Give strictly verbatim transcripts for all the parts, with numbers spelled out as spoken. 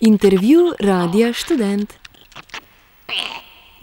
Intervju Radia Študent.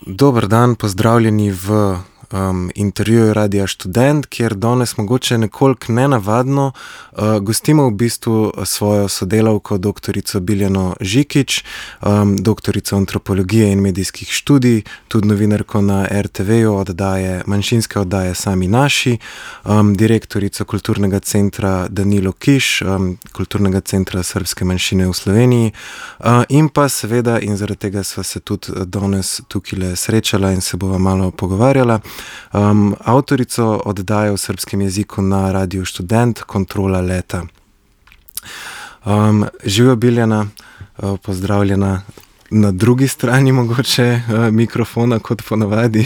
Dober dan, pozdravljeni v um, intervjuju Radia Študent, kjer danes mogoče nekoliko nenavadno uh, gostimo v bistvu svojo sodelavko, doktorico Biljano Žikić, um, doktorico antropologije in medijskih študij, tudi novinarko na er te veju oddaje, manjšinske oddaje Sami naši, um, direktorico kulturnega centra Danilo Kiš, um, kulturnega centra srpske manjšine v Sloveniji, uh, in pa seveda, in zaradi tega sva se tudi danes tukaj srečala in se bova malo pogovarjala, Um, avtorico oddaje v srpskem jeziku na Radiu Študent, Kontrola leta. Um, živijo Biljana, uh, pozdravljena na drugi strani mogoče uh, mikrofona kot ponavadi.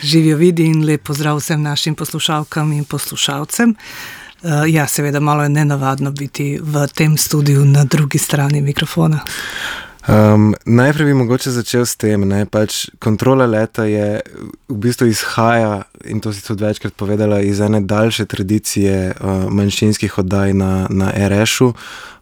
Živijo vidi in lep pozdrav vsem našim poslušalkam in poslušalcem. Uh, ja, seveda malo je nenavadno biti v tem studiu na drugi strani mikrofona. Um, najprej bi mogoče začel s tem, ne, pač Kontrola leta je v bistvu izhaja, in to si tudi večkrat povedala, iz ene daljše tradicije uh, manjšinskih oddaj na, na er eš-u,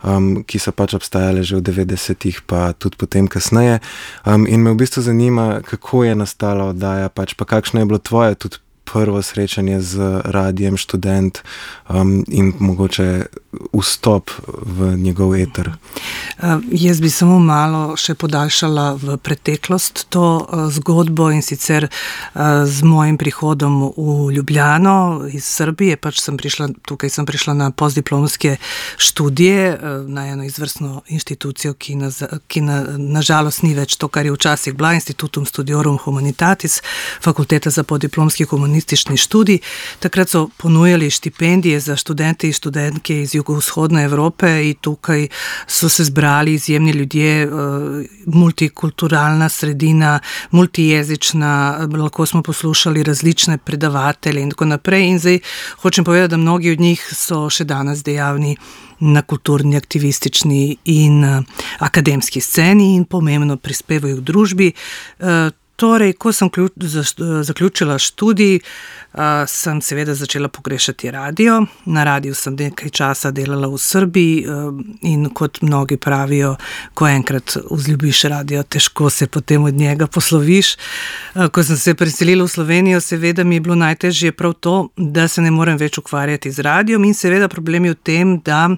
um, ki so pač obstajale že v devetdesetih, pa tudi potem kasneje. Um, in me v bistvu zanima, kako je nastala oddaja, pač pa kakšno je bilo tvoje tudi prvo srečanje z Radijem Študent um, in mogoče vstop v njegov eter. Uh, jaz bi samo malo še podaljšala v preteklost to uh, zgodbo, in sicer uh, z mojim prihodom v Ljubljano iz Srbije, pač sem prišla, tukaj sem prišla na postdiplomske študije, uh, na eno izvrstno inštitucijo, ki, na, ki na, nažalost ni več to, kar je včasih bila, Institutum Studiorum Humanitatis, fakulteta za podiplomski humanistični študij. Takrat so ponujali štipendije za študente in študentke iz jugovzhodne Evrope in tukaj so se zbrali izjemni ljudje, multikulturalna sredina, multijezična, lahko smo poslušali različne predavatelje in tako naprej. In zdaj hočem povedati, da mnogi od njih so še danes dejavni na kulturni, aktivistični in akademski sceni in pomembno prispevajo v družbi. Torej, ko sem zaključila študij, sem seveda začela pogrešati radio. Na radiju sem nekaj časa delala v Srbiji in kot mnogi pravijo, ko enkrat vzljubiš radio, težko se potem od njega posloviš. Ko sem se preselila v Slovenijo, seveda mi je bilo najtežje prav to, da se ne morem več ukvarjati z radijem, in seveda problem je v tem, da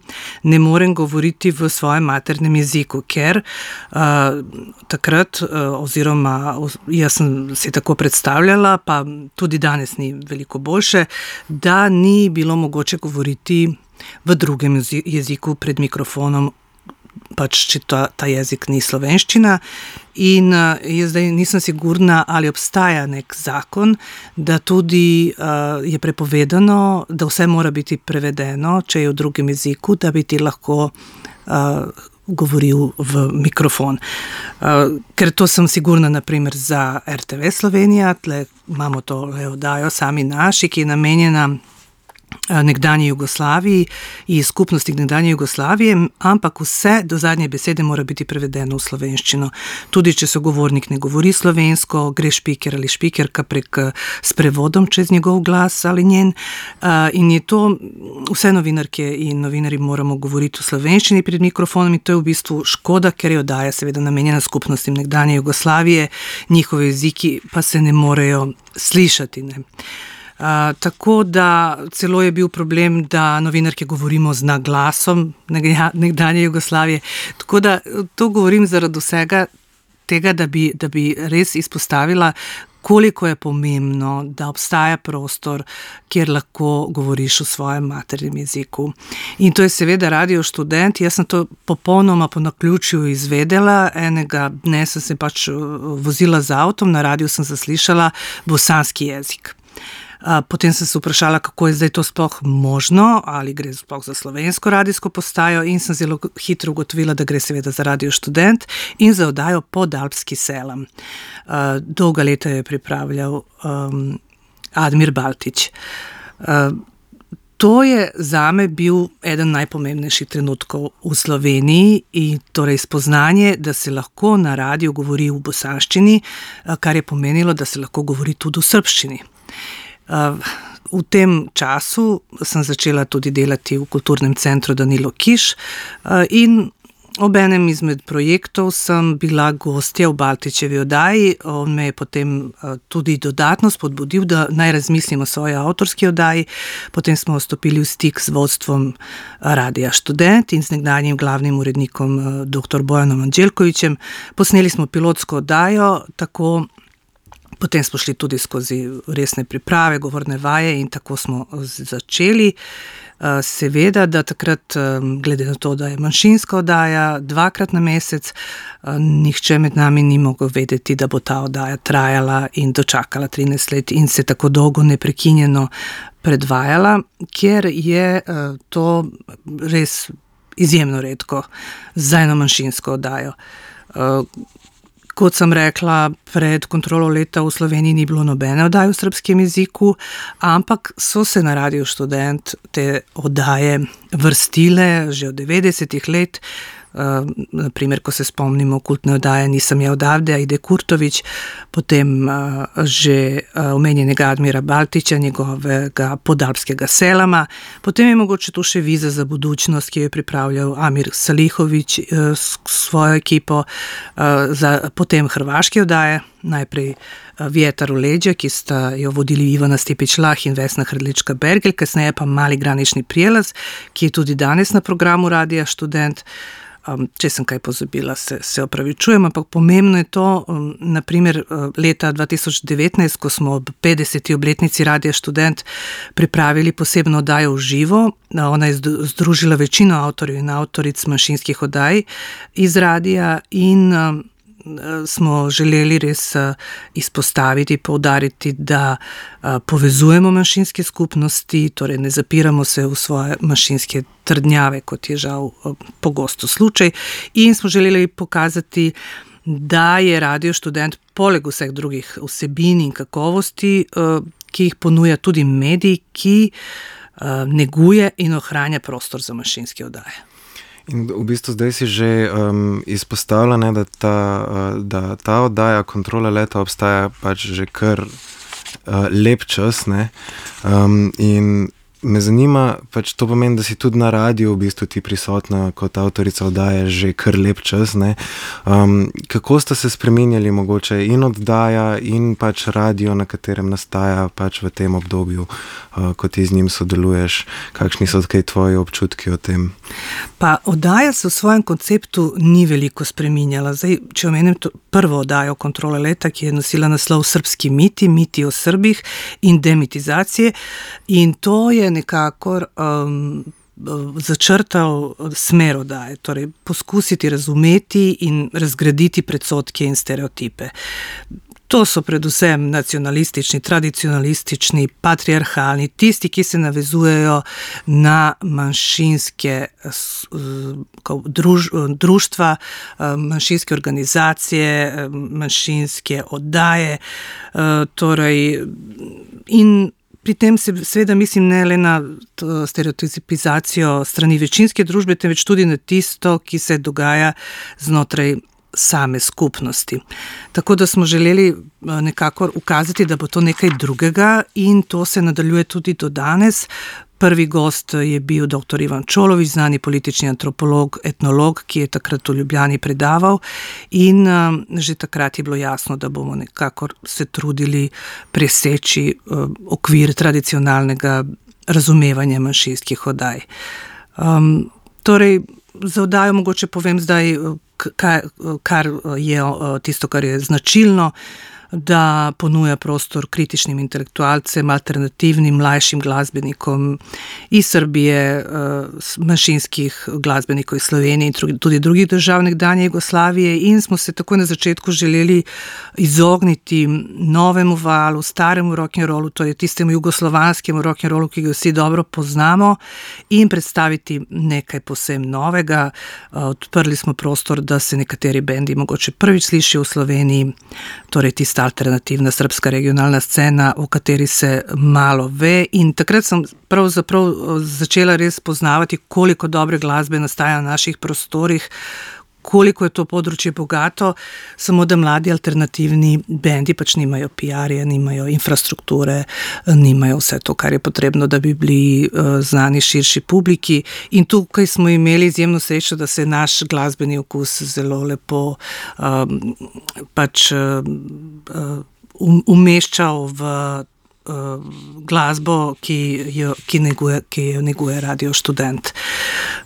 ne morem govoriti v svojem maternem jeziku, ker uh, takrat uh, oziroma jaz sem si tako predstavljala, pa tudi danes ni veliko boljše, da ni bilo mogoče govoriti v drugem jeziku pred mikrofonom, pač če ta, ta jezik ni slovenščina. In uh, jaz zdaj nisem sigurna, ali obstaja nek zakon, da tudi uh, je prepovedano, da vse mora biti prevedeno, če je v drugem jeziku, da bi ti lahko uh, govoril v mikrofon. Uh, ker to sem sigurna, naprimer, za er te ve Slovenija, tle imamo to oddajo Sami naši, ki je namenjena nekdanji Jugoslaviji in skupnosti nekdanje Jugoslavije, ampak vse do zadnje besede mora biti prevedeno v slovenščino. Tudi če sogovornik ne govori slovensko, gre špiker ali špikerka prek s prevodom čez njegov glas ali njen. In je to, vse novinarke in novinari moramo govoriti v slovenščini pred mikrofonom, in to je v bistvu škoda, ker je oddaja seveda namenjena skupnostim nekdanje Jugoslavije, njihovi jeziki pa se ne morejo slišati, ne. Uh, tako da celo je bil problem, da novinarke govorimo z naglasom nekdanje Jugoslavije. Tako da to govorim zaradi vsega tega, da bi, da bi res izpostavila, koliko je pomembno, da obstaja prostor, kjer lahko govoriš v svojem maternem jeziku. In to je seveda Radio Študent. Jaz sem to popolnoma po naključju izvedela. Enega dne sem se pač vozila z avtom, na radiju sem zaslišala bosanski jezik. Potem sem se vprašala, kako je zdaj to sploh možno, ali gre sploh za slovensko radijsko postajo, in sem zelo hitro ugotovila, da gre seveda za Radio Študent in za oddajo Podalpski selam. Dolga leta je pripravljal um, Admir Baltić. Uh, to je zame bil eden najpomembnejših trenutkov v Sloveniji, in torej spoznanje, da se lahko na radiju govori v bosanščini, kar je pomenilo, da se lahko govori tudi v srbščini. V tem času sem začela tudi delati v kulturnem centru Danilo Kiš in ob enem izmed projektov sem bila gostja v Baltičevi oddaji. On me je potem tudi dodatno spodbudil, da naj razmislim o svoji avtorski oddaji. Potem smo stopili v stik z vodstvom Radia Študent in z nekdanjim glavnim urednikom doktor Bojanom Anđelkovićem. Posneli smo pilotsko oddajo, tako potem smo šli tudi skozi resne priprave, govorne vaje in tako smo začeli. Seveda, da takrat, glede na to, da je manjšinska oddaja dvakrat na mesec, nihče med nami ni mogel vedeti, da bo ta oddaja trajala in dočakala trinajst let in se tako dolgo neprekinjeno predvajala, ker je to res izjemno redko za eno manjšinsko oddajo. Kot sem rekla, pred kontrolo leta v Sloveniji ni bilo nobene oddaje v srbskem jeziku, ampak so se na Radiu Študent te oddaje vrstile že od devetdesetih let. Naprimer, ko se spomnimo kultne oddaje Nisam ja odavde, Aide Kurtović, potem že omenjenega Admira Baltića, njegovega Podalpskega selama, potem je mogoče tu še Viza za budućnost, ki jo je pripravljal Amir Salihović s svojo ekipo, za potem hrvaške oddaje, najprej Vjetar u leđa, ki sta jo vodili Ivana Stipić-Lah in Vesna Hrdlička-Bergelj, kasneje pa Mali granični prijelaz, ki je tudi danes na programu Radija Študent. Um, če sem kaj pozabila, se, se opravičujem, ampak pomembno je to, um, naprimer leta dva tisoč devetnajst, ko smo ob petdeseti obletnici Radija Študent pripravili posebno oddajo v živo. Ona je združila večino avtorjev in avtoric manjšinskih oddaj iz radija in um, smo želeli res izpostaviti, poudariti, da povezujemo manjšinske skupnosti, torej ne zapiramo se v svoje manjšinske trdnjave, kot je žal pogosto slučaj, in smo želeli pokazati, da je Radio Študent poleg vseh drugih vsebin in kakovosti, ki jih ponuja tudi medij, ki neguje in ohranja prostor za manjšinske oddaje. In v bistvu zdaj si že um, izpostavila, ne, da, ta, uh, da ta oddaja Kontrola leta obstaja pač že kar uh, lep čas, ne, um, in me zanima, pač to pomeni, da si tudi na radiju v bistvu ti prisotna kot avtorica oddaje že kar lep čas, ne. Um, kako sta se spreminjali mogoče in oddaja in pač radio, na katerem nastaja pač v tem obdobju, uh, ko ti z njim sodeluješ, kakšni so kaj tvoji občutki o tem? Pa oddaja se v svojem konceptu ni veliko spreminjala. Zdaj, če omenim to prvo oddajo Kontrole leta, ki je nosila naslov Srpski miti, miti o Srbih in demitizacije, in to je nekako um, začrtal smer oddaje, torej poskusiti razumeti in razgraditi predsodke in stereotipe. To so predvsem nacionalistični, tradicionalistični, patriarhalni, tisti, ki se navezujejo na manjšinske druž, društva, manjšinske organizacije, manjšinske oddaje, torej in pri tem se seveda mislim ne le na stereotipizacijo strani večinske družbe, temveč tudi na tisto, ki se dogaja znotraj same skupnosti. Tako da smo želeli nekako ukazati, da bo to nekaj drugega, in to se nadaljuje tudi do danes. Prvi gost je bil doktor Ivan Čolović, znani politični antropolog, etnolog, ki je takrat v Ljubljani predaval, in uh, že takrat je bilo jasno, da bomo nekako se trudili preseči uh, okvir tradicionalnega razumevanja manjšinskih oddaj. Um, torej, za oddajo mogoče povem zdaj, kar, kar je tisto, kar je značilno, da ponuja prostor kritičnim intelektualcem, alternativnim, mlajšim glasbenikom iz Srbije, manjšinskih glasbenikov iz Slovenije in tudi drugih držav nekdanje Jugoslavije, in smo se tako na začetku želeli izogniti novemu valu, staremu rock'n'rollu, to je tistemu jugoslovanskemu rock'n'rollu, ki ga vsi dobro poznamo, in predstaviti nekaj posebno novega. Odprli smo prostor, da se nekateri bendi mogoče prvič slišijo v Sloveniji, torej tista alternativna srpska regionalna scena, o kateri se malo ve, in takrat sem pravzaprav začela res poznavati, koliko dobre glasbe nastaja na naših prostorih, koliko je to področje bogato, samo da mladi alternativni bendi pač nimajo P R-ja, nimajo infrastrukture, nimajo vse to, kar je potrebno, da bi bili uh, znani širši publiki. In tukaj smo imeli izjemno srečo, da se je naš glasbeni okus zelo lepo um, pač uh, um, umeščal v uh, glasbo, ki jo, ki neguje, ki jo neguje Radio Študent.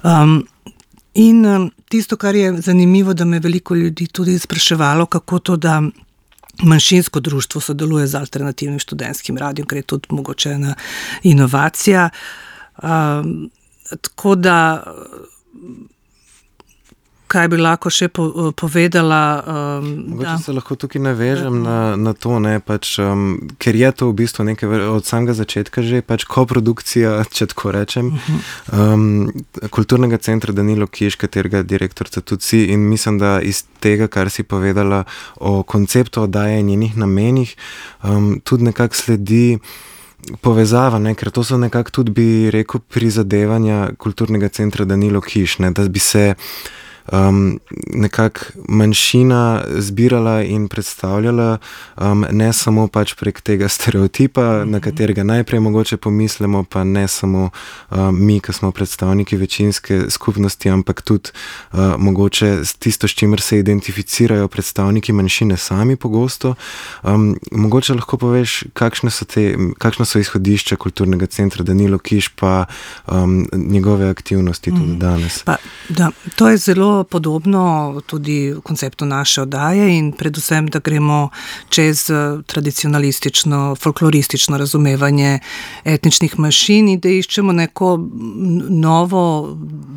Um, in um, tisto, kar je zanimivo, da me veliko ljudi tudi spraševalo, kako to, da manjšinsko društvo sodeluje z alternativnim študentskim radijem, ker je tudi mogoče ena inovacija. Um, tako da kaj bi lahko še po, povedala. Um, Mogoče se lahko tukaj navežem na, na to, ne, pač, um, ker je to v bistvu nekaj od samega začetka že, pač koprodukcija, če tako rečem, um, Kulturnega centra Danilo Kiš, katerega direktorica tudi si, in mislim, da iz tega, kar si povedala o konceptu oddaje in njenih namenih, um, tudi nekako sledi povezava, ne, ker to so nekako tudi, bi rekel, prizadevanja Kulturnega centra Danilo Kiš, ne, da bi se Um, nekako manjšina zbirala in predstavljala, um, ne samo pač prek tega stereotipa, mm-hmm. na katerega najprej mogoče pomislimo, pa ne samo um, mi, ki smo predstavniki večinske skupnosti, ampak tudi uh, mogoče tisto, s čimer se identificirajo predstavniki manjšine sami pogosto. Um, mogoče lahko poveš, kakšne so, te, kakšne so izhodišča Kulturnega centra Danilo Kiš, pa um, njegove aktivnosti mm-hmm. tudi danes. Pa, da, to je zelo podobno tudi konceptu naše oddaje in predvsem, da gremo čez tradicionalistično, folkloristično razumevanje etničnih manjšin in da iščemo neko novo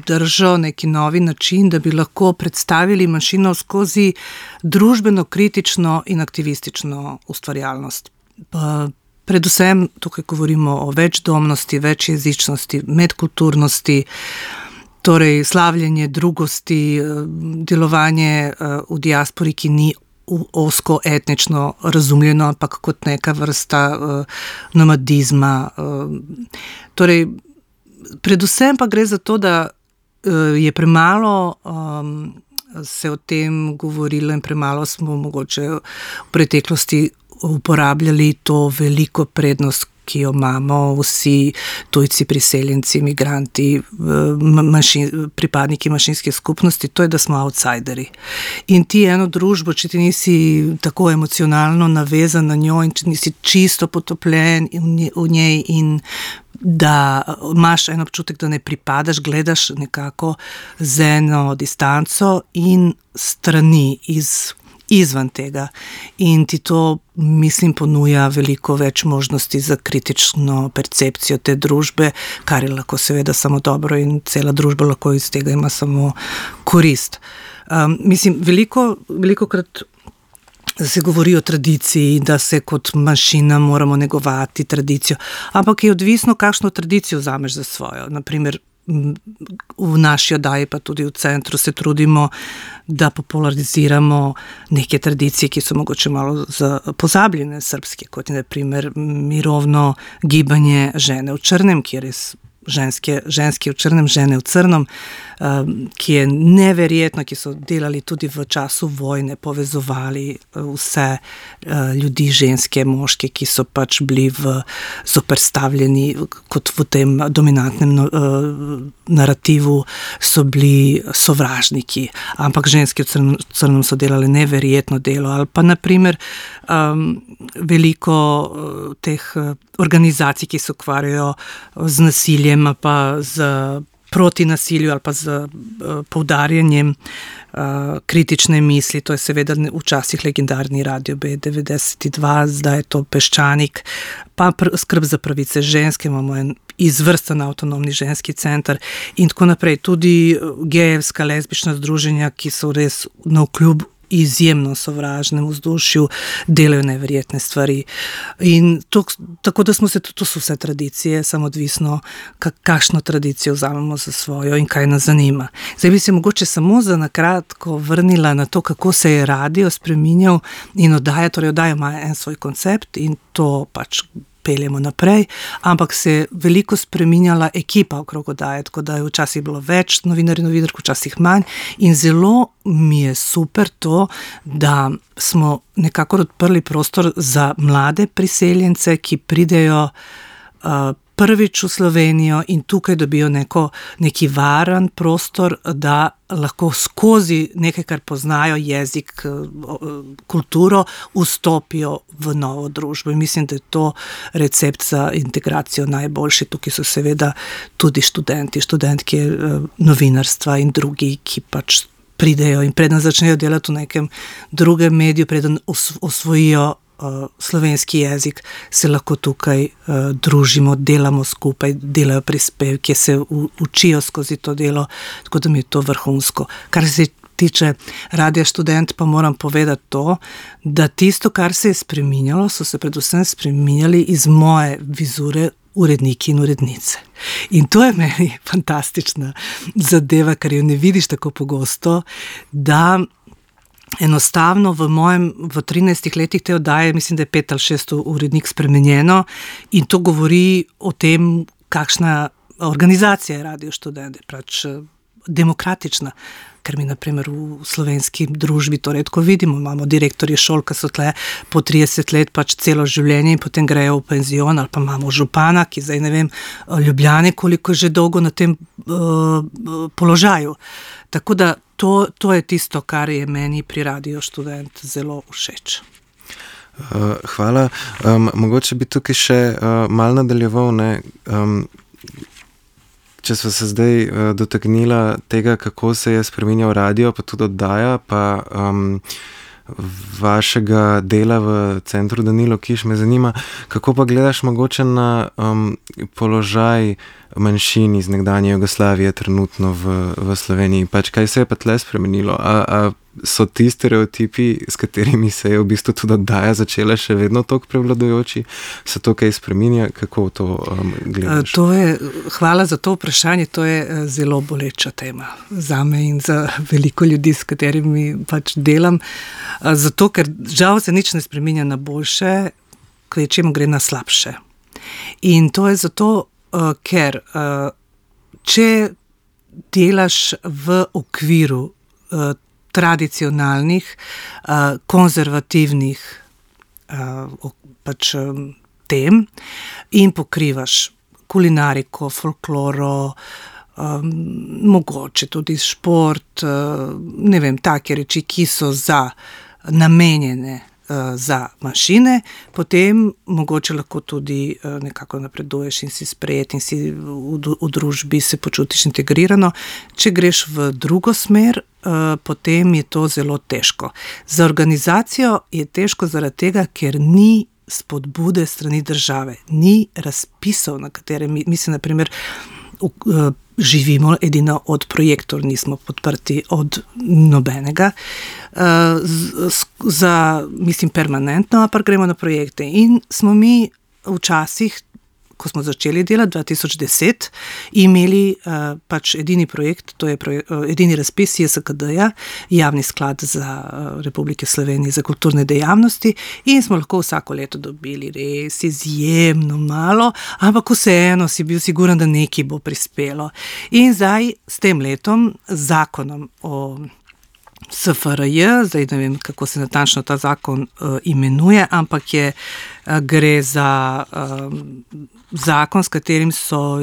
držo, neki novi način, da bi lahko predstavili manjšino skozi družbeno, kritično in aktivistično ustvarjalnost. Pa predvsem tukaj govorimo o večdomnosti, večjezičnosti, medkulturnosti, torej slavljenje drugosti, delovanje v diaspori, ki ni osko etnično razumljeno, ampak kot neka vrsta nomadizma. Torej, predvsem pa gre za to, da je premalo um, se o tem govorilo in premalo smo mogoče v preteklosti uporabljali to veliko prednost, ki jo imamo vsi tujci, priseljenci, migranti, manjšin, pripadniki manjšinskih skupnosti, to je, da smo outsideri. In ti eno družbo, če ti nisi tako emocionalno navezan na njo in če nisi čisto potopljen v njej in da imaš en občutek, da ne pripadaš, gledaš nekako z eno distanco in strani iz izvan tega. In ti to, mislim, ponuja veliko več možnosti za kritično percepcijo te družbe, kar je lahko seveda samo dobro in cela družba lahko iz tega ima samo korist. Um, mislim, veliko, veliko krat se govori o tradiciji, da se kot manjšina moramo negovati tradicijo, ampak je odvisno, kakšno tradicijo vzameš za svojo. Naprimer, v naši oddaji, pa tudi v centru se trudimo, da populariziramo neke tradicije, ki so mogoče malo pozabljene srpske, kot je na primer mirovno gibanje žene v črnem, kjer je ženske, ženske v črnem, žene v crnom, ki je neverjetno, ki so delali tudi v času vojne, povezovali vse ljudi, ženske, moške, ki so pač bili v zoperstavljeni, kot v tem dominantnem narativu so bili sovražniki, ampak ženske v crnem, crnem so delali neverjetno delo, ali pa naprimer um, veliko teh organizacij, ki se ukvarjajo z nasiljem, pa z proti nasilju ali pa z uh, poudarjanjem uh, kritične misli. To je seveda včasih legendarni Radio B devetdeset dva, zdaj je to Peščanik, pa pr- skrb za pravice ženske, imamo en izvrsten avtonomni ženski center in tako naprej. Tudi gejevska, lezbična združenja, ki so res navkljub izjemno sovražnem vzdušju, delajo neverjetne stvari. In to, tako da smo se, to so vse tradicije, samo odvisno, kakšno tradicijo vzamemo za svojo in kaj nas zanima. Zdaj bi se mogoče samo za nakratko vrnila na to, kako se je radio spreminjal in oddaja, torej oddaja ima en svoj koncept in to pač peljemo naprej, ampak se je veliko spreminjala ekipa okrog oddaje, tako da je včasih bilo več novinarjev, novinark, včasih manj in zelo mi je super to, da smo nekako odprli prostor za mlade priseljence, ki pridejo uh, prvič v Slovenijo in tukaj dobijo neko, neki varen prostor, da lahko skozi nekaj, kar poznajo, jezik, kulturo, vstopijo v novo družbo. In mislim, da je to recept za integracijo najboljši. Tukaj so seveda tudi študenti, študentke novinarstva in drugi, ki pač pridejo in preden začnejo delati v nekem drugem mediju, preden osvojijo slovenski jezik, se lahko tukaj uh, družimo, delamo skupaj, delajo prispevke, se u, učijo skozi to delo, tako da mi je to vrhunsko. Kar se tiče Radia Študent, pa moram povedati to, da tisto, kar se je spreminjalo, so se predvsem spreminjali iz moje vizure uredniki in urednice. In to je meni fantastična zadeva, kar jo ne vidiš tako pogosto, da enostavno v mojem, v trinajstih letih te oddaje, mislim, da je pet ali šest urednik spremenjeno in to govori o tem, kakšna organizacija je Radio Študent, pač demokratična, ker mi naprimer v slovenski družbi to redko vidimo, imamo direktorje šol, ki so tle po trideset let pač celo življenje in potem grejo v penzion, ali pa imamo župana, ki zdaj ne vem, Ljubljane, koliko je že dolgo na tem uh, položaju. Tako da to, to je tisto, kar je meni pri Radio Študent zelo všeč. Uh, hvala. Um, mogoče bi tukaj še uh, malo nadaljeval, ne, um, če smo se zdaj uh, dotaknila tega, kako se je spreminjal radio, pa tudi oddaja, pa um, vašega dela v centru Danilo Kiš, me zanima, kako pa gledaš mogoče na um, položaj manjšin iz nekdanje Jugoslavije trenutno v, v Sloveniji. Pač kaj se je pa tle spremenilo? A, a so ti stereotipi, s katerimi se je v bistvu tudi oddaja začela, še vedno toliko prevladujoči? Se to kaj spreminja? Kako to um, gledaš? To je, hvala za to vprašanje, to je zelo boleča tema zame in za veliko ljudi, s katerimi pač delam. Zato, ker žal se nič ne spreminja na boljše, kvečjemu gre na slabše. In to je zato, ker če delaš v okviru tradicionalnih, konzervativnih pač tem in pokrivaš kulinariko, folkloro, mogoče tudi šport, ne vem, take reči, ki so za namenjene za manjšine, potem mogoče lahko tudi nekako napreduješ in si sprejet in si v, v družbi se počutiš integrirano. Če greš v drugo smer, potem je to zelo težko. Za organizacijo je težko zaradi tega, ker ni spodbude strani države, ni razpisov, na katere mi, mislim, na primer, živimo edino od projektor, nismo podprti od nobenega, za, mislim, permanentno, pa gremo na projekte. In smo mi včasih, ko smo začeli delati, dva tisoč deset, imeli uh, pač edini projekt, to je projek, uh, edini razpis J S K D-ja, Javni sklad za uh, Republike Slovenije za kulturne dejavnosti in smo lahko vsako leto dobili res izjemno malo, ampak vseeno si bil siguren, da nekaj bo prispelo. In zdaj s tem letom, zakonom o S F R J, zdaj ne vem, kako se natančno ta zakon uh, imenuje, ampak je, uh, gre za uh, zakon, s katerim so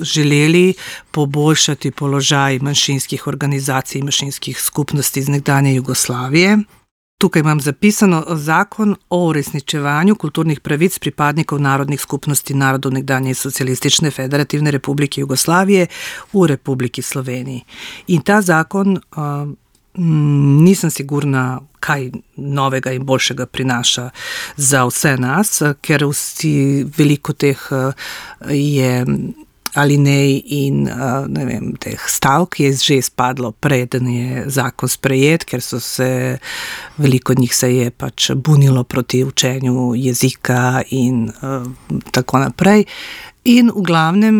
želeli poboljšati položaj manjšinskih organizacij, manjšinskih skupnosti iz nekdanje Jugoslavije. Tukaj imam zapisano zakon o uresničevanju kulturnih pravic pripadnikov narodnih skupnosti narodov nekdanje Socialistične federativne republike Jugoslavije v Republiki Sloveniji. In ta zakon uh, nisem sigurna, kaj novega in boljšega prinaša za vse nas, ker vsi veliko teh je alinej in ne vem, teh stavk je že izpadlo, preden je zakon sprejet, ker so se, veliko njih se je pač bunilo proti učenju jezika in uh, tako naprej. In v glavnem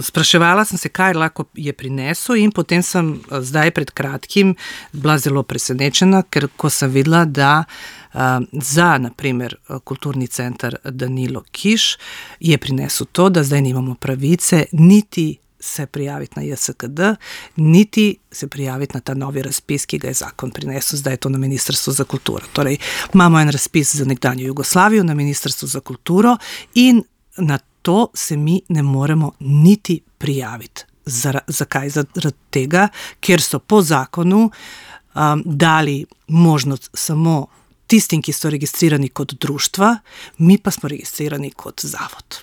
spraševala sem se, kaj lahko je prinesel in potem sem zdaj pred kratkim bila zelo presenečena, ker ko sem videla, da za, naprimer, kulturni center Danilo Kiš je prinesel to, da zdaj nimamo pravice niti se prijaviti na J S K D, niti se prijaviti na ta novi razpis, ki ga je zakon prinesel, zdaj je to na Ministrstvu za kulturo. Torej, imamo en razpis za nekdanjo Jugoslavijo na Ministrstvu za kulturo in na to se mi ne moremo niti prijaviti. Zakaj? Zaradi tega, ker so po zakonu um, dali možnost samo tistim, ki so registrirani kot društva, mi pa smo registrirani kot zavod.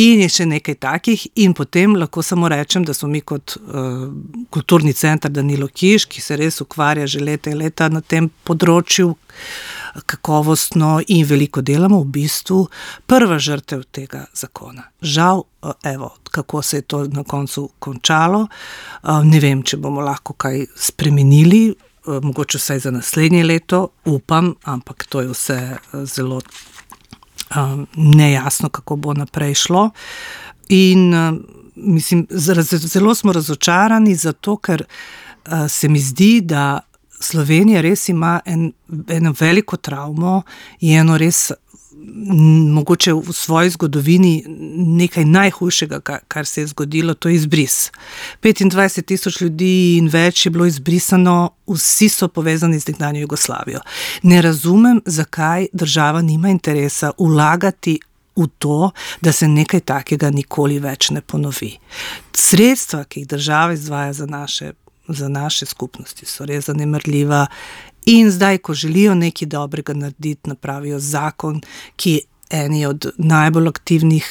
In je še nekaj takih in potem lahko samo rečem, da smo mi kot uh, kulturni center Danilo Kiš, ki se res ukvarja že leta in leta na tem področju kakovostno in veliko delamo, v bistvu prva žrtev tega zakona. Žal, uh, evo, kako se je to na koncu končalo, uh, ne vem, če bomo lahko kaj spremenili, uh, mogoče vsaj za naslednje leto, upam, ampak to je vse uh, zelo Um, nejasno, kako bo naprej šlo. In um, mislim, zelo smo razočarani zato, ker uh, se mi zdi, da Slovenija res ima en, eno veliko travmo in eno res m, mogoče v svoji zgodovini nekaj najhujšega, kar, kar se je zgodilo, to je izbris. petindvajset tisoč ljudi in več je bilo izbrisano, vsi so povezani z nekdanjo Jugoslavijo. Ne razumem, zakaj država nima interesa vlagati v to, da se nekaj takega nikoli več ne ponovi. Sredstva, ki jih država izvaja za naše, za naše skupnosti, so res zanemarljiva in zdaj, ko želijo nekaj dobrega narediti, napravijo zakon, ki eni od najbolj aktivnih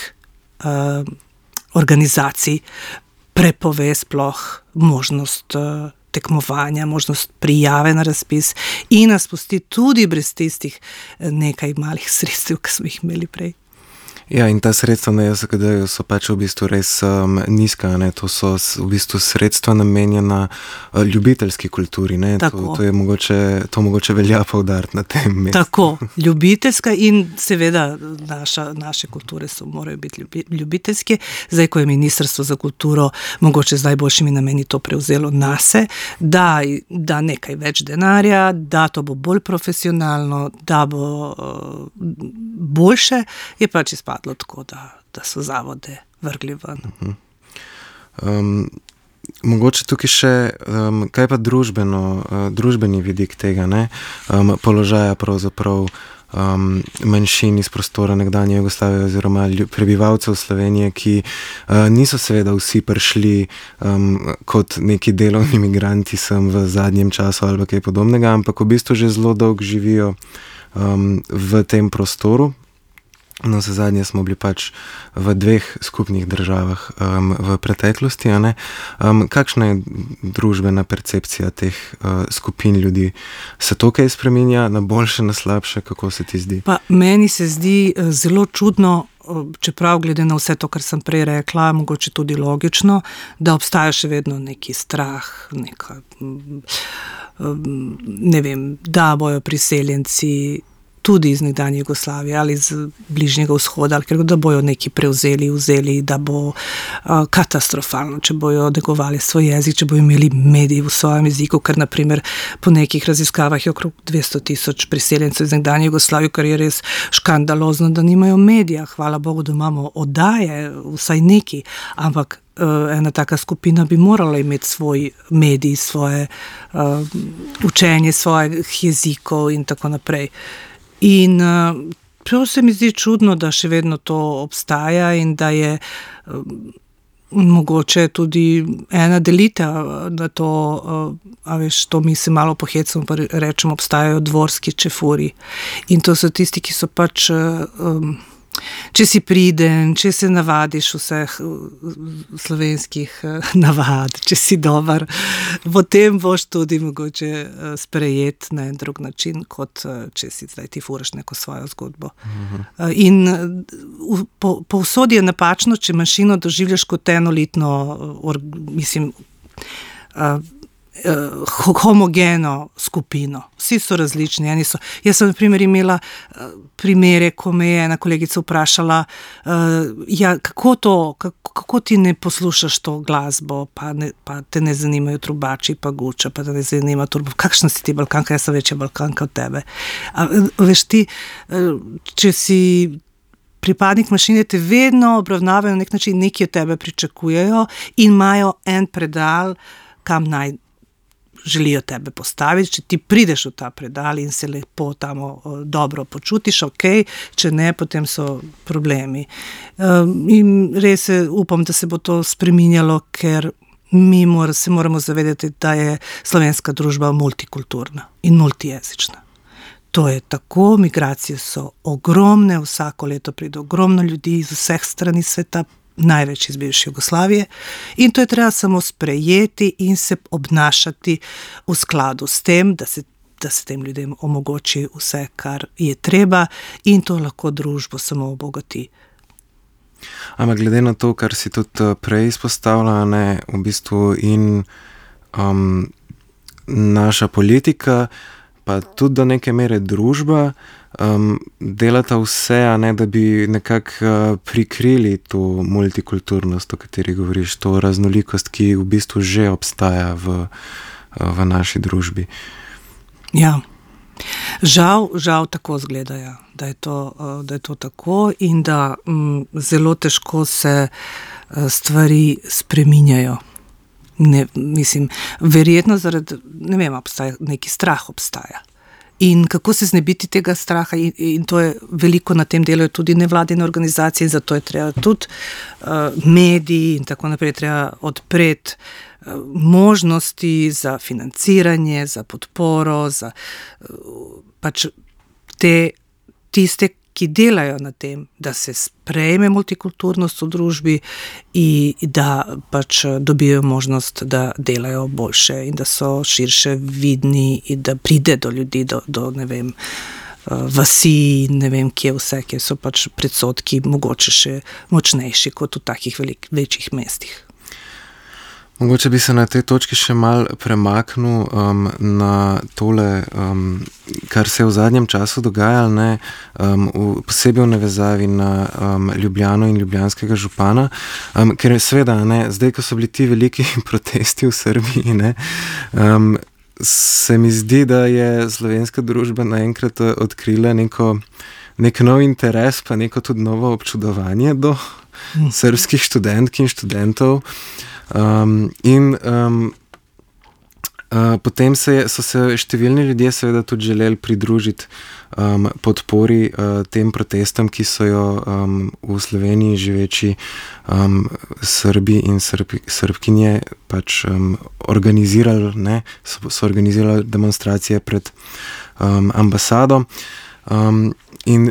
uh, organizacij prepove sploh možnost uh, tekmovanja, možnost prijave na razpis in nas pusti tudi brez tistih nekaj malih sredstev, ki smo jih imeli prej. Ja, in ta sredstva na J S K D-ju so pač v bistvu res um, nizka, ne? To so v bistvu sredstva namenjena uh, ljubiteljski kulturi, ne? To, to je mogoče, to mogoče velja poudariti na tem mestu. Tako, ljubiteljska in seveda naša, naše kulture so, morajo biti ljubi, ljubiteljske. Zdaj, ko je Ministrstvo za kulturo mogoče z najboljšimi nameni to prevzelo nase, da, da nekaj več denarja, da to bo bolj profesionalno, da bo uh, boljše, je pač izpadlo tako, da, da so zavode vrgli ven. Uh-huh. Um, mogoče tukaj še, um, kaj pa družbeno, uh, družbeni vidik tega, ne? Um, položaja pravzaprav um, manjšin iz prostora nekdanje Jugoslavije oziroma prebivalcev Slovenije, ki uh, niso seveda vsi prišli um, kot neki delovni migranti sem v zadnjem času ali kaj podobnega, ampak v bistvu že zelo dolgo živijo um, v tem prostoru. No, za zadnje smo bili pač v dveh skupnih državah um, v preteklosti, a ne? Um, kakšna je družbena percepcija teh uh, skupin ljudi? Se to kaj spreminja na boljše, na slabše? Kako se ti zdi? Pa meni se zdi uh, zelo čudno, uh, čeprav glede na vse to, kar sem prej rekla, mogoče tudi logično, da obstaja še vedno neki strah, neka, um, ne vem, da bojo priseljenci tudi iz nekdanje Jugoslavije ali iz bližnjega vzhoda, ali ker da bojo neki prevzeli, vzeli, da bo uh, katastrofalno, če bojo negovali svoj jezik, če bojo imeli mediji v svojem jeziku, ker naprimer po nekih raziskavah je okrog dvesto tisoč priseljencev iz nekdanje Jugoslavije, kar je res škandalozno, da nimajo medija. Hvala Bogu, da imamo oddaje, vsaj neki, ampak uh, ena taka skupina bi morala imeti svoj medij, svoje uh, učenje svojih jezikov in tako naprej. In uh, prav se mi zdi čudno, da še vedno to obstaja in da je uh, mogoče tudi ena delitev na to, uh, a veš, to mi se malo pohecamo, pa rečemo, obstajajo dvorski čefuri. In to so tisti, ki so pač, uh, um, če si priden, če se navadiš vseh slovenskih navad, če si dober, potem boš tudi mogoče sprejet na en drug način, kot če si zdaj ti furaš neko svojo zgodbo. Uh-huh. In po, povsod je napačno, če manjšino doživljaš kot enolitno, or, mislim, homogeno skupino. Vsi so različni. Eni so, jaz sem na primer imela primere, ko me je ena kolegica vprašala, ja, kako to, kako, kako ti ne poslušaš to glasbo, pa, ne, pa te ne zanimajo trubači, pa guča, pa te ne zanima turbo. Kakšna si ti Balkanka? Jaz sem večja Balkanka od tebe. A, veš ti, če si pripadnik manjšine, te vedno obravnavajo na nek način, neki od tebe pričakujejo in imajo en predal, kam naj želijo tebe postaviti. Če ti prideš v ta predal in se lepo tam dobro počutiš, ok, če ne, potem so problemi. In res upam, da se bo to spreminjalo, ker mi mora, se moramo zavedati, da je slovenska družba multikulturna in multijezična. To je tako, migracije so ogromne, vsako leto pride ogromno ljudi iz vseh strani sveta, največ iz bivše Jugoslavije, in to je treba samo sprejeti in se obnašati v skladu s tem, da se, da se tem ljudem omogoči vse, kar je treba, in to lahko družbo samo obogati. Ampak glede na to, kar si tudi prej izpostavila, ne, v bistvu in um, naša politika, pa tudi do neke mere družba, um, delata vse, a ne, da bi nekako uh, prikrili to multikulturnost, o kateri govoriš, to raznolikost, ki v bistvu že obstaja v, uh, v naši družbi. Ja, žal, žal tako zgledajo, da je to, uh, da je to tako in da um, zelo težko se uh, stvari spreminjajo. Ne, mislim, verjetno zaradi, ne vem, obstaja, neki strah obstaja. In kako se znebiti tega straha, in, in to je veliko na tem delajo tudi nevladine organizacije, in zato je treba tudi uh, mediji in tako naprej, treba odpreti uh, možnosti za financiranje, za podporo, za uh, pač te, tiste, ki delajo na tem, da se sprejme multikulturnost v družbi in da pač dobijo možnost, da delajo boljše in da so širše vidni in da pride do ljudi, do, do ne vem, vasi, ne vem, kje vse, kje so pač predsodki mogoče še močnejši kot v takih velik, večjih mestih. Mogoče bi se na tej točki še mal premaknil um, na tole, um, kar se je v zadnjem času dogajalo, ne, um, v, posebej v navezavi na um, Ljubljano in ljubljanskega župana, um, ker seveda, ne, zdaj, ko so bili ti veliki protesti v Srbiji, ne, um, se mi zdi, da je slovenska družba naenkrat odkrila neko, nek nov interes, pa neko tudi novo občudovanje do mm. srbskih študentk in študentov. Um, in um, uh, potem se je, so se številni ljudje seveda tudi želeli pridružiti um, podpori uh, tem protestom, ki so jo um, v Sloveniji živeči um, Srbi in Srb, Srbkinje pač um, organizirali, ne, so, so organizirali demonstracije pred um, ambasado. Um, in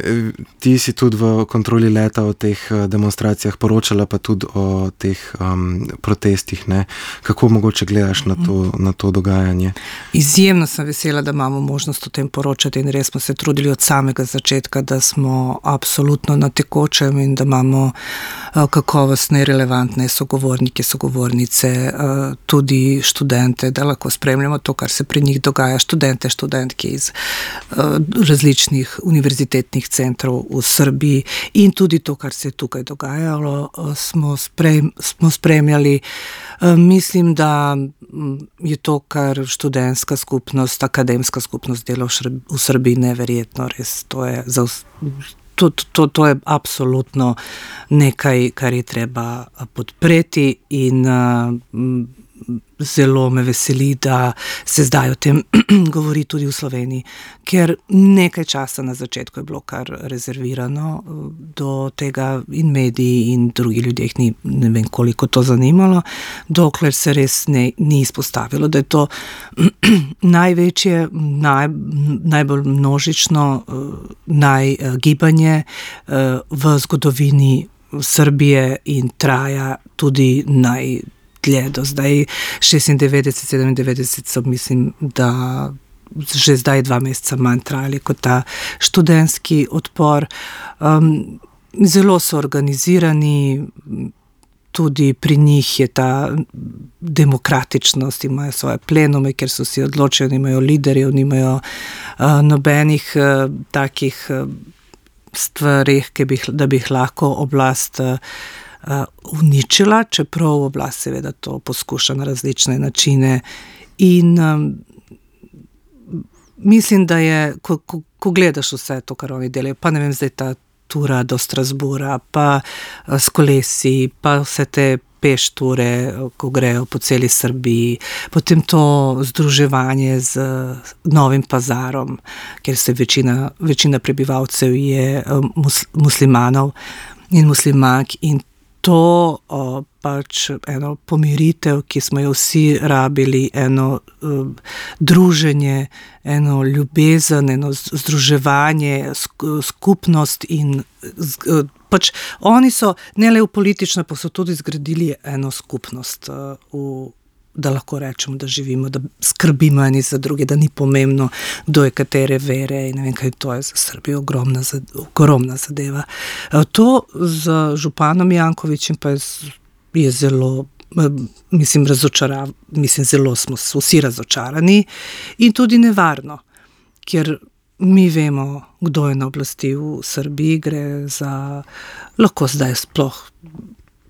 ti si tudi v kontroli leta o teh demonstracijah poročala, pa tudi o teh um, protestih, ne? Kako mogoče gledaš na to, na to dogajanje? Izjemno sem vesela, da imamo možnost o tem poročati in res smo se trudili od samega začetka, da smo absolutno na tekočem in da imamo uh, kakovostne, relevantne sogovornike, sogovornice, uh, tudi študente, da lahko spremljamo to, kar se pri njih dogaja, študente, študentke iz uh, različnih univerzitetnih centrov v Srbiji in tudi to, kar se je tukaj dogajalo, smo, sprem, smo spremljali. Mislim, da je to, kar študentska skupnost, akademska skupnost dela v Srbiji, neverjetno, res. To je, za, to, to, to je absolutno nekaj, kar je treba podpreti in zelo me veseli, da se zdaj o tem govori tudi v Sloveniji, ker nekaj časa na začetku je bilo kar rezervirano do tega in mediji in drugi ljudje, ni, ne vem koliko to zanimalo, dokler se res ne, ni izpostavilo, da je to največje, naj, najbolj množično najgibanje v zgodovini Srbije in traja tudi naj dlje do zdaj, šestindevetdeset, sedemindevetdeset so, mislim, da že zdaj dva meseca manj trajali kot ta študentski odpor. Um, zelo so organizirani, tudi pri njih je ta demokratičnost, imajo svoje plenume, ker so si odločili, nimajo liderjev, nimajo uh, nobenih uh, takih uh, stvari, da bi jih lahko oblast uh, uničila, čeprav oblast seveda to poskuša na različne načine. In um, mislim, da je, ko, ko, ko gledaš vse to, kar oni delajo, pa ne vem, zdaj ta tura do Strasbura, pa uh, s kolesi, pa vse te pešture, ko grejo po celi Srbiji, potem to združevanje z Novim Pazarom, ker se večina, večina prebivalcev je mus, muslimanov in muslimank, in to o, pač eno pomiritev, ki smo jo vsi rabili, eno o, druženje, eno ljubezen, eno združevanje, skupnost in z, pač oni so ne le v politično, pa so tudi zgradili eno skupnost, v, da lahko rečemo, da živimo, da skrbimo eni za druge, da ni pomembno, kdo je katere vere in ne vem, kaj to je za Srbijo ogromna, ogromna zadeva. To z županom Jankovićem pa je, je zelo, mislim, razočarav, mislim, zelo smo vsi razočarani in tudi nevarno, ker mi vemo, kdo je na oblasti v Srbiji, gre za, lahko zdaj sploh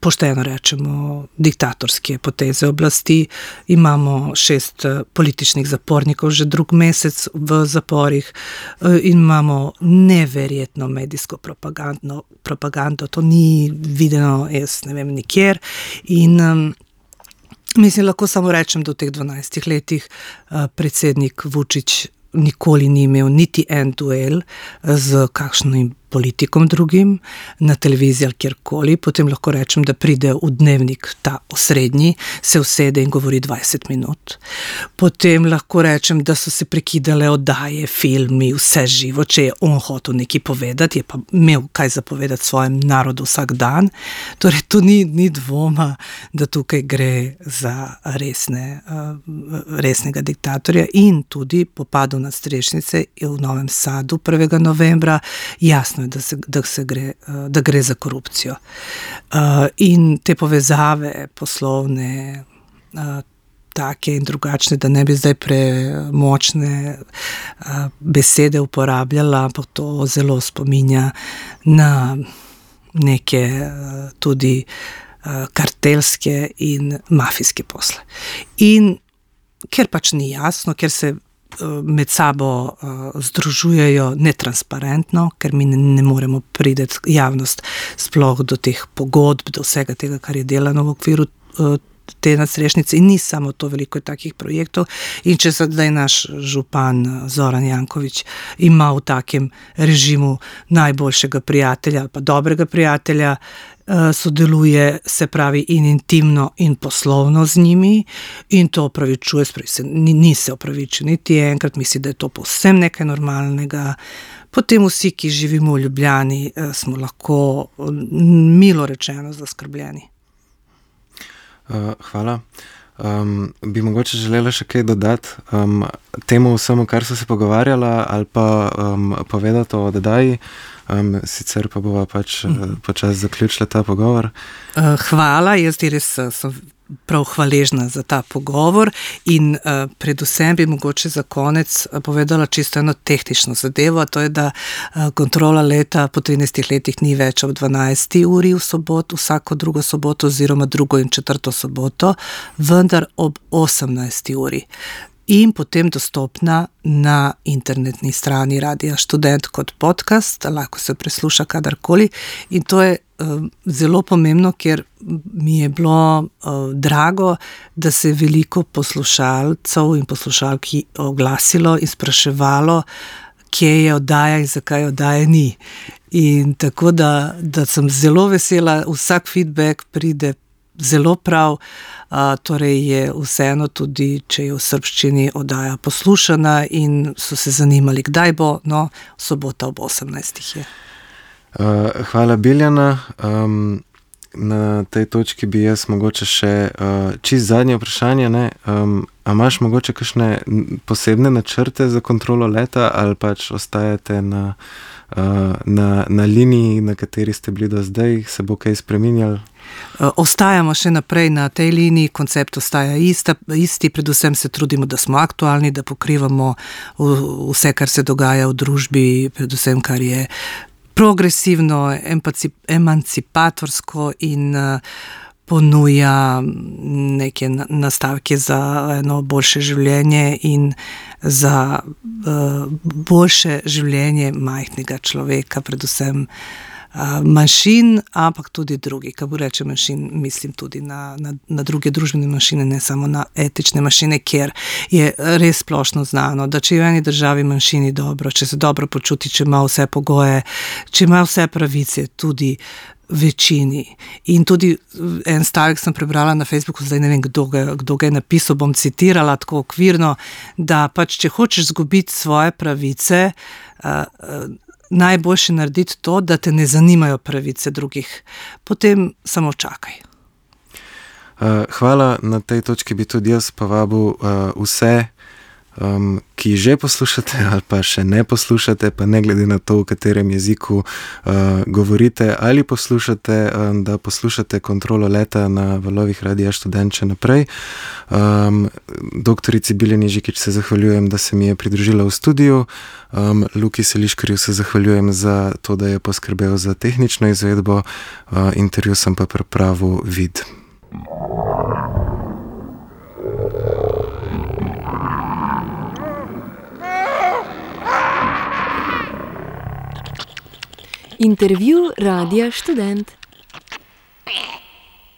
pošteno rečemo, diktatorske poteze oblasti. Imamo šest političnih zapornikov že drug mesec v zaporih in imamo neverjetno medijsko propagandno, propagando, to ni videno, jaz ne vem, nikjer. In um, mislim, lahko samo rečem, da v teh dvanajstih letih uh, predsednik Vučić nikoli ni imel niti en duel z kakšnim politikom drugim, na televiziji ali kjerkoli, potem lahko rečem, da pride v Dnevnik ta osrednji, se usede in govori dvajset minut. Potem lahko rečem, da so se prekidale oddaje, filmi, vse živo, če je on hotel nekaj povedati, je pa imel kaj zapovedati svojem narodu vsak dan. Torej, tu ni, ni dvoma, da tukaj gre za resne, resnega diktatorja in tudi po padu nadstrešnice v Novem Sadu prvega novembra jasno je, da, se, da, se gre, da gre za korupcijo. In te povezave poslovne, take in drugačne, da ne bi zdaj premočne besede uporabljala, ampak to zelo spominja na neke tudi kartelske in mafijske posle. In ker pač ni jasno, ker se med sabo uh, združujejo netransparentno, ker mi ne, ne moremo priti javnost sploh do teh pogodb, do vsega tega, kar je delano v okviru uh, te nadstrešnice in ni samo to, veliko takih projektov. In če zdaj naš župan Zoran Janković ima v takem režimu najboljšega prijatelja ali pa dobrega prijatelja, sodeluje, se pravi, in intimno in poslovno z njimi in to opravičuje, spravi se, ni, ni se opravičil niti enkrat, misli, da je to povsem nekaj normalnega. Potem vsi, ki živimo v Ljubljani, smo lahko milo rečeno zaskrbljeni. Uh, hvala. Um, bi mogoče želela še kaj dodati um, temu vsemu, kar so se pogovarjala, ali pa um, povedati o oddaji, um, sicer pa bova pač uh, počas zaključila ta pogovor. Uh, hvala, jaz ti res sem prav hvaležna za ta pogovor in uh, predvsem bi mogoče za konec povedala čisto eno tehnično zadevo, to je, da uh, kontrola leta po trinajstih letih ni več ob dvanajsti uri v soboto, vsako drugo soboto oziroma drugo in četrto soboto, vendar ob osemnajsti uri. In potem dostopna na internetni strani Radia Študent kot podcast, lahko se presluša kadarkoli in to je uh, zelo pomembno, ker mi je bilo uh, drago, da se je veliko poslušalcev in poslušalki oglasilo in spraševalo, kje je oddaja in zakaj oddaje ni. In tako da, da sem zelo vesela, vsak feedback pride zelo prav, a, torej je vseeno tudi, če je v srbščini oddaja poslušana in so se zanimali, kdaj bo, no, sobota ob osemnajstih je. Uh, hvala, Biljana. Um, na tej točki bi jaz mogoče še uh, čist zadnje vprašanje, ne? Um, a imaš mogoče kakšne posebne načrte za kontrolo leta ali pač ostajate na na, na liniji, na kateri ste bili do zdaj, se bo kaj spreminjalo? Ostajamo še naprej na tej liniji, koncept ostaja ista, isti, predvsem se trudimo, da smo aktualni, da pokrivamo vse, kar se dogaja v družbi, predvsem kar je progresivno, emancipatorsko in ponuja neke nastavke za eno boljše življenje in za boljše življenje majhnega človeka, predvsem manjšin, ampak tudi drugi. Ko rečem manjšin, mislim tudi na, na, na druge družbene manjšine, ne samo na etične manjšine, kjer je res splošno znano, da če je v eni državi manjšini dobro, če se dobro počuti, če ima vse pogoje, če ima vse pravice, tudi večini. In tudi en stavek sem prebrala na Facebooku, zdaj ne vem, kdo ga, kdo ga je napisal, bom citirala tako okvirno, da pač, če hočeš izgubiti svoje pravice, uh, najboljše narediti to, da te ne zanimajo pravice drugih. Potem samo čakaj. Hvala, na tej točki bi tudi jaz povabil vse, ki že poslušate ali pa še ne poslušate, pa ne glede na to, v katerem jeziku govorite ali poslušate, da poslušate Kontrolo leta na valovih Radia Študent še naprej. Doktorici Biljani Žikić se zahvaljujem, da se mi je pridružila v studiu. Luki Seliškarju se zahvaljujem za to, da je poskrbel za tehnično izvedbo. Intervju sem pa pripravil Vid. Intervju Radia Študent.